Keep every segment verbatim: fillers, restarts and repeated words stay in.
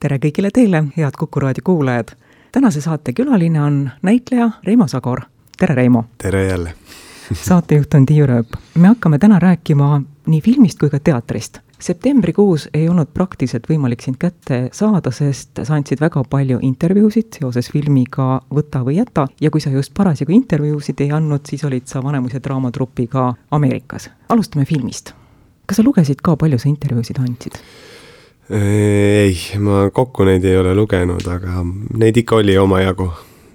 tere kõigile teile, head Kuku Raadio kuulajad. Tänase saate külaline on näitleja Reimo Sagor. Tere, Reimo! Tere jälle! Saatejuht on Tiiu Rööp. Me hakkame täna rääkima nii filmist kui ka teatrist. Septembrikuus ei olnud praktiliselt võimalik sind kätte saada, sest sa andsid väga palju intervjuusid seoses filmiga Võta või jäta. Ja kui sa just parasjagu intervjuusid ei andnud, siis olid sa Vanemuise draamatrupiga Ameerikas. Alustame filmist. Kas sa lugesid ka, palju sa intervjuusid andsid? Ei, ma kokku neid ei ole lugenud, aga neid ikka oli oma jagu.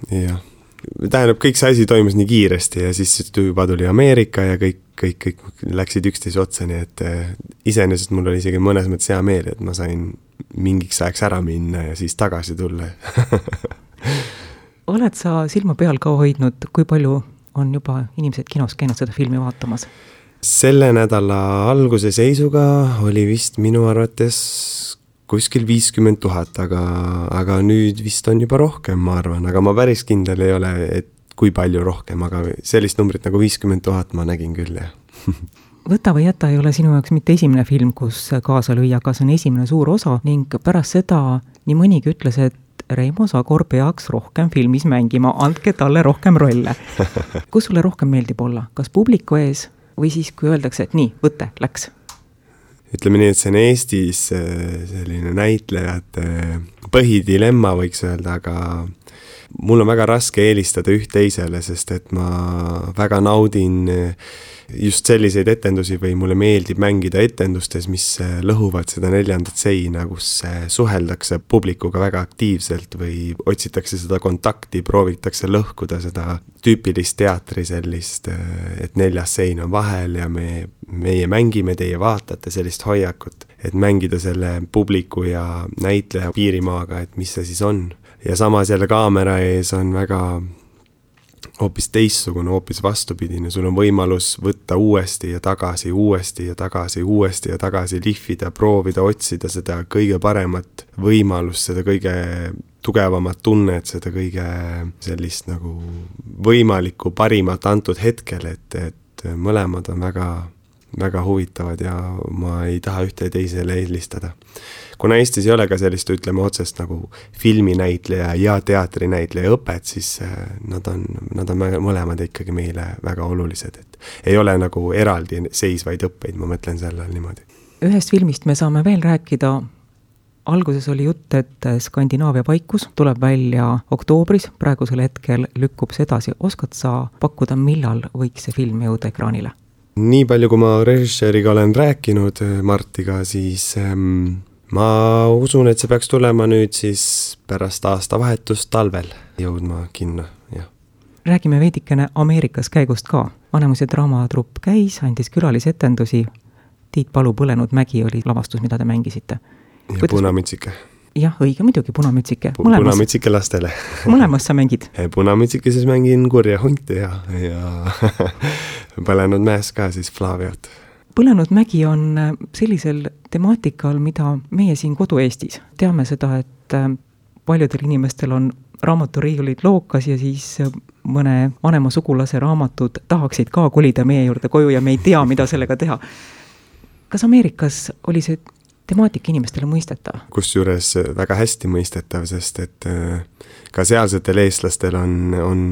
Ja tähendab, kõik see asi toimus nii kiiresti ja siis juba tuli Ameerika ja kõik, kõik, kõik läksid üksteise otsa, nii et iseenesest mul oli isegi mõnes mõttes hea meel, et ma sain mingiks ajaks ära minna ja siis tagasi tulla. Oled sa silma peal ka hoidnud, kui palju on juba inimesed kinos käinud seda filmi vaatamas? Selle nädala alguse seisuga oli vist minu arvates kuskil viiskümmend tuhat, aga, aga nüüd vist on juba rohkem, ma arvan, aga ma päris kindel ei ole, et kui palju rohkem, aga sellist numbrit nagu viiskümmend tuhat ma nägin küll, jah. Võta või jäta ei ole sinu jaoks mitte esimene film, kus kaasa lüüa, aga see on esimene suur osa ning pärast seda nii mõnigi ütles, et Reimo Sagor peaks rohkem filmis mängima, andke talle rohkem rolle. Kus sulle rohkem meeldib olla? Kas publiku ees või siis, kui öeldakse, et nii, võte, läks? Ütleme nii, et see on Eestis selline näitlejate põhidilemma, võiks öelda, aga mul on väga raske eelistada üht teisele, sest et ma väga naudin just selliseid etendusi või mulle meeldib mängida etendustes, mis lõhuvad seda neljandat seina, kus suheldakse publikuga väga aktiivselt või otsitakse seda kontakti, proovitakse lõhkuda seda tüüpilist teatri sellist, et neljas sein on vahel ja me, meie mängime, teie vaatate sellist hoiakut, et mängida selle publiku ja näitleja piirimaaga, et mis see siis on. Ja samas jälle kaamera ees on väga hoopis teissugune, hoopis vastupidine. Sul on võimalus võtta uuesti ja tagasi, uuesti ja tagasi, uuesti ja tagasi lihvida, proovida, otsida seda kõige paremat võimalust, seda kõige tugevamat tunnet, seda kõige sellist nagu võimalikku parimat antud hetkel, et, et mõlemad on väga, väga huvitavad ja ma ei taha ühte teisele eelistada. Kuna Eestis ei ole ka sellist, ütleme otsest nagu filminäitleja ja teatrinäitleja õpet, siis nad on, nad on mõlemad ikkagi meile väga olulised. Et ei ole nagu eraldi seisvaid õppeid, ma mõtlen sellel niimoodi. Ühest filmist me saame veel rääkida. Alguses oli jutt, et Skandinaavia vaikus tuleb välja oktoobris, praegusel hetkel lükkub see edasi. Oskad sa pakkuda, millal võiks see film jõuda ekraanile? Nii palju, kui ma režissööriga olen rääkinud Martiga, siis ähm, ma usun, et see peaks tulema nüüd siis pärast aastavahetust talvel jõudma kinno. Ja. Räägime veidikene Ameerikas käigust ka. Vanemuise draamatrupp käis, andis külalisetendusi. Tiit Palu Põlenud mägi oli lavastus, mida te mängisite. Ja Kuidas... Punamütsike. Jah, õige muidugi, Punamütsike. Punamütsike lastele. Mõlemas sa mängid? Punamütsike siis mängin kurja hunti ja, ja Põlenud mäes ka siis Flaviot. Põlenud mägi on sellisel temaatikal, mida meie siin kodu-Eestis teame seda, et paljudel inimestel on raamaturiiulid lookas ja siis mõne vanema sugulase raamatud tahaksid ka kolida meie juurde koju ja me ei tea, mida sellega teha. Kas Ameerikas oli see temaatika inimestele mõistetav? Kusjuures väga hästi mõistetav, sest et ka sealsetel eestlastel on, on,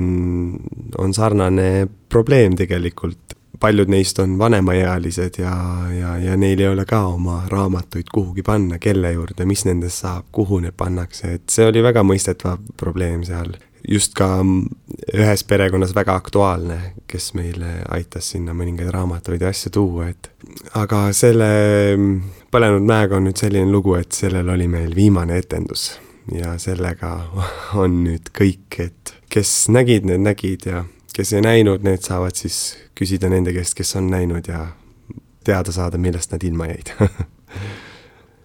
on sarnane probleem tegelikult. Paljud neist on vanemaealised ja, ja, ja neil ei ole ka oma raamatuid kuhugi panna, kelle juurde, mis nendest saab, kuhu need pannakse. Et see oli väga mõistetav probleem seal. Just ka ühes perekonnas väga aktuaalne, kes meile aitas sinna mõningaid raamatuid ja asja tuua. Et aga selle Põlenud mäega on nüüd selline lugu, et sellel oli meil viimane etendus ja sellega on nüüd kõik, et kes nägid, need nägid ja kes ei näinud, need saavad siis küsida nende käest, kes on näinud ja teada saada, millest nad ilma jäid.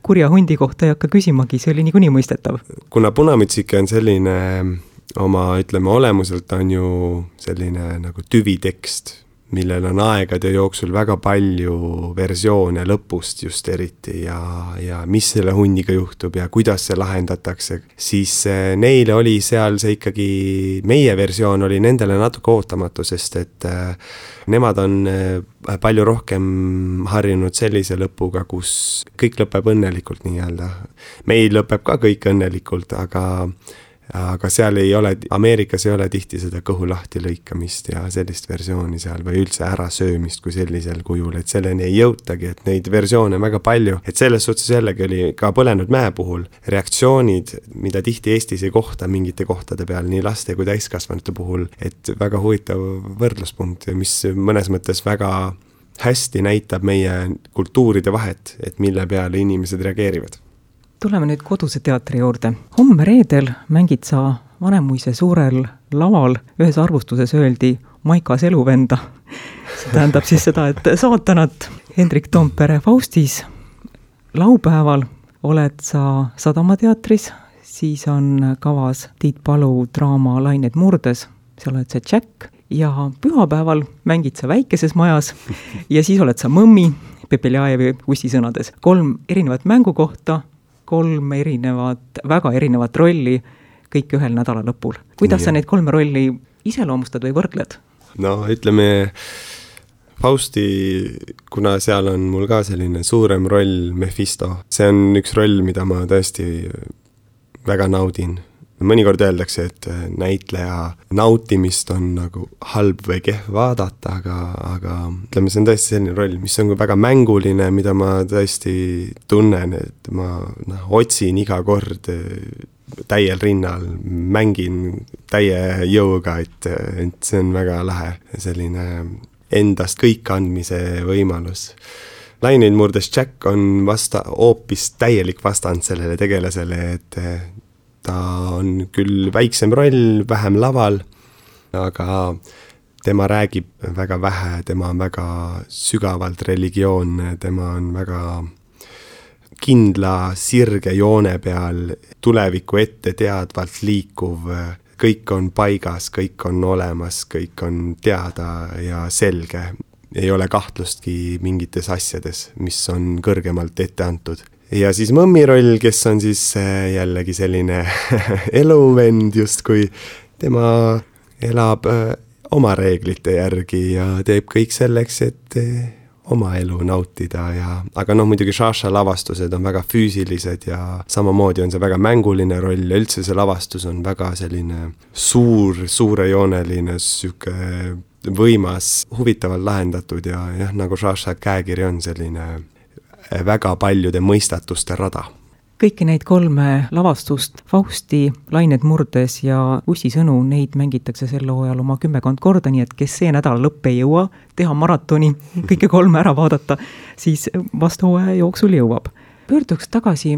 Kurja hundi kohta ei hakka küsimagi, see oli niikuinii mõistetav. Kuna Punamütsike on selline oma, ütleme, olemuselt on ju selline nagu tüvitekst, millel on aegade jooksul väga palju versioone lõpust just eriti ja, ja mis selle hundiga juhtub ja kuidas see lahendatakse, siis neile oli seal see ikkagi, meie versioon oli nendele natuke ootamatu, sest et nemad on palju rohkem harjunud sellise lõpuga, kus kõik lõpeb õnnelikult nii-öelda. Meil lõpeb ka kõik õnnelikult, aga aga seal ei ole, Ameerikas ei ole tihti seda kõhu lahti lõikamist ja sellist versiooni seal või üldse ära söömist kui sellisel kujul, et selleni ei jõutagi, et neid versioone on väga palju, et selles suhtes jällegi oli ka Põlenud mäe puhul reaktsioonid, mida tihti Eestis ei kohta mingite kohtade peal, nii laste kui täiskasvanute puhul, et väga huvitav võrdluspunkt, mis mõnes mõttes väga hästi näitab meie kultuuride vahet, et mille peale inimesed reageerivad. Tuleme nüüd koduse teatri juurde. Homme reedel mängid sa Vanemuise suurel laval, ühes arvustuses öeldi Maikas eluvenda. See tähendab siis seda, et saatanat Hendrik Toompere Faustis. Laupäeval oled sa Sadamateatris, siis on kavas Tiit Palu draama Lained murdes, sa oled see Jack, ja pühapäeval mängid sa Väikeses majas ja siis oled sa Mõmmi, Pepeljajevi Ussi sõnades. Kolm erinevat mängukohta, kolm erinevat, väga erinevat rolli, kõik ühel nädala lõpul. Kuidas ja. Sa neid kolme rolli iseloomustad või võrdled? No ütleme, Fausti, kuna seal on mul ka selline suurem roll Mephisto, see on üks roll, mida ma tõesti väga naudin. Mõnikord öeldakse, et näitleja nautimist on nagu halb või kehv vaadata, aga, aga ütleme, see on tõesti selline roll, mis on väga mänguline, mida ma tõesti tunnen, et ma noh, otsin iga kord täiel rinnal, mängin täie jõuga, et, et see on väga lahe, selline endast kõik andmise võimalus. Lained murdes Jack on vasta, hoopis täielik vastand sellele tegelasele, et ta on küll väiksem roll, vähem laval, aga tema räägib väga vähe, tema on väga sügavalt religioonne, tema on väga kindla sirge joone peal, tuleviku ette teadvalt liikuv, kõik on paigas, kõik on olemas, kõik on teada ja selge. Ei ole kahtlustki mingites asjades, mis on kõrgemalt ette antud. Ja siis Mõmmi roll, kes on siis jällegi selline eluvend justkui, tema elab oma reeglite järgi ja teeb kõik selleks, et oma elu nautida ja, aga noh, muidugi Šaša lavastused on väga füüsilised ja samamoodi on see väga mänguline roll ja üldse see lavastus on väga selline suur, suurejooneline, süke võimas, huvitavalt lahendatud ja jah, nagu Šaša käekiri on selline väga paljude mõistatuste rada. Kõiki neid kolme lavastust, Fausti, Lained murdes ja Ussi sõnu, neid mängitakse sel hooajal oma kümmekond korda, nii et kes see nädal lõpp ei jõua teha maratoni, kõike kolme ära vaadata, siis vast hooaja jooksul jõuab. Pöörduks tagasi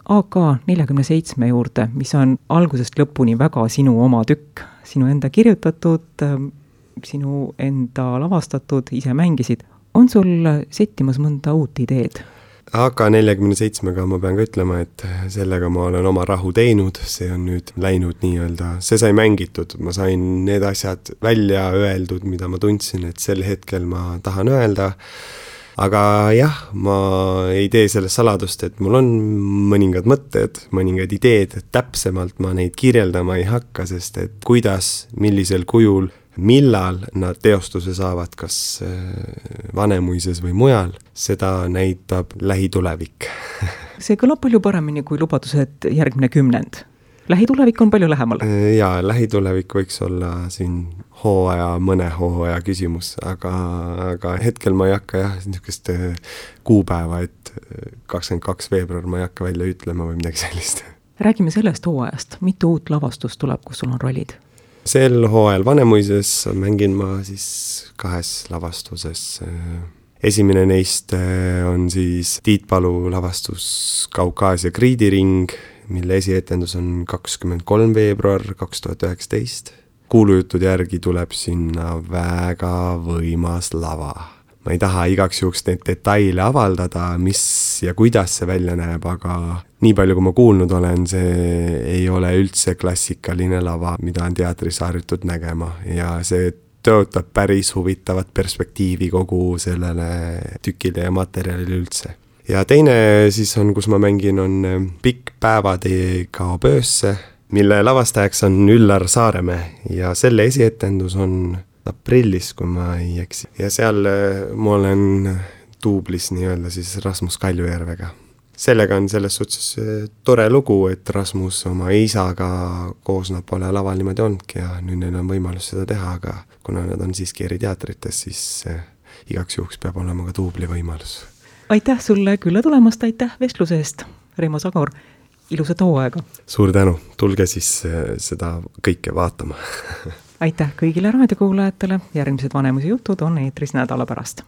A K nelikümmend seitse juurde, mis on algusest lõpuni väga sinu oma tükk, sinu enda kirjutatud, sinu enda lavastatud, ise mängisid. On sul settimas mõnda uut ideed? A K nelikümmend seitsmega ma pean ka ütlema, et sellega ma olen oma rahu teinud, see on nüüd läinud nii-öelda, see sai mängitud, ma sain need asjad välja öeldud, mida ma tundsin, et sel hetkel ma tahan öelda, aga jah, ma ei tee sellest saladust, et mul on mõningad mõtted, mõningad ideed, täpsemalt ma neid kirjeldama ei hakka, sest et kuidas, millisel kujul, millal nad teostuse saavad, kas Vanemuises või mujal, seda näitab lähitulevik. See kõlab palju paremini kui lubadused järgmine kümnend. Lähitulevik on palju lähemal. Jaa, lähitulevik võiks olla siin hooaja, mõne hooaja küsimus, aga, aga hetkel ma ei hakka jah, niisugust kuupäeva, et kakskümmend kaks veebruar ma ei hakka välja ütlema või midagi sellist. Räägime sellest hooajast. Mitu uut lavastust tuleb, kus sul on rollid? Sel hooajal Vanemuises mängin ma siis kahes lavastuses. Esimene neist on siis Tiit Palu lavastus Kaukaasia kriidiring, mille esietendus on kakskümmend kolm veebruar kaks tuhat üheksateist. Kuulujutud järgi tuleb sinna väga võimas lava. Ma ei taha igaks juhuks neid detaile avaldada, mis ja kuidas see välja näeb, aga nii palju, kui ma kuulnud olen, see ei ole üldse klassikaline lava, mida on teatris harjutud nägema ja see tõotab päris huvitavat perspektiivi kogu sellele tükile ja materjalile üldse. Ja teine siis on, kus ma mängin, on Pikk päevatee kaob öösse, mille lavastajaks on Üllar Saaremäe ja selle esietendus on aprillis, kui ma ei eksi. Ja seal ma olen duublis nii-öelda siis Rasmus Kaljujärvega. Sellega on selles suhtes tore lugu, et Rasmus oma isaga koos nad pole laval niimoodi olnudki ja nüüd neil on võimalus seda teha, aga kuna nad on siiski eri teatrites, siis igaks juhuks peab olema ka duubli võimalus. Aitäh sulle külla tulemast, aitäh vestluse eest, Reimo Sagor, ilusat hooaega! Suur tänu, tulge siis seda kõike vaatama! Aitäh kõigile raadiokuulajatele, järgmised Vanemuise jutud on eetris nädala pärast.